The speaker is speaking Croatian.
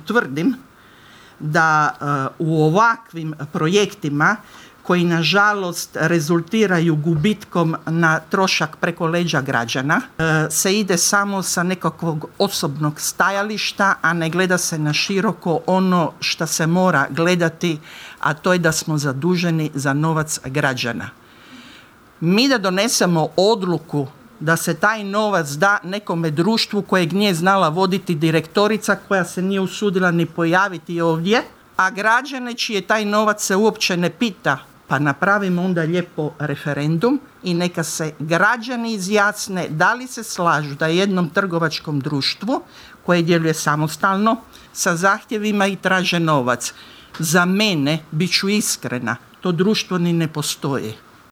Tvrdim da u ovakvim projektima koji nažalost rezultiraju gubitkom na trošak preko leđa građana se ide samo sa nekakvog osobnog stajališta, a ne gleda se na široko ono što se mora gledati, a to je da smo zaduženi za novac građana. Mi da donesemo odluku da se taj novac da nekome društvu kojeg nije znala voditi direktorica, koja se nije usudila ni pojaviti ovdje, a građane čije taj novac se uopće ne pita, pa napravimo onda lijepo referendum i neka se građani izjasne da li se slažu da jednom trgovačkom društvu koje djeluje samostalno sa zahtjevima i traže novac. Za mene, bit ću iskrena, to društvo ni ne postoji.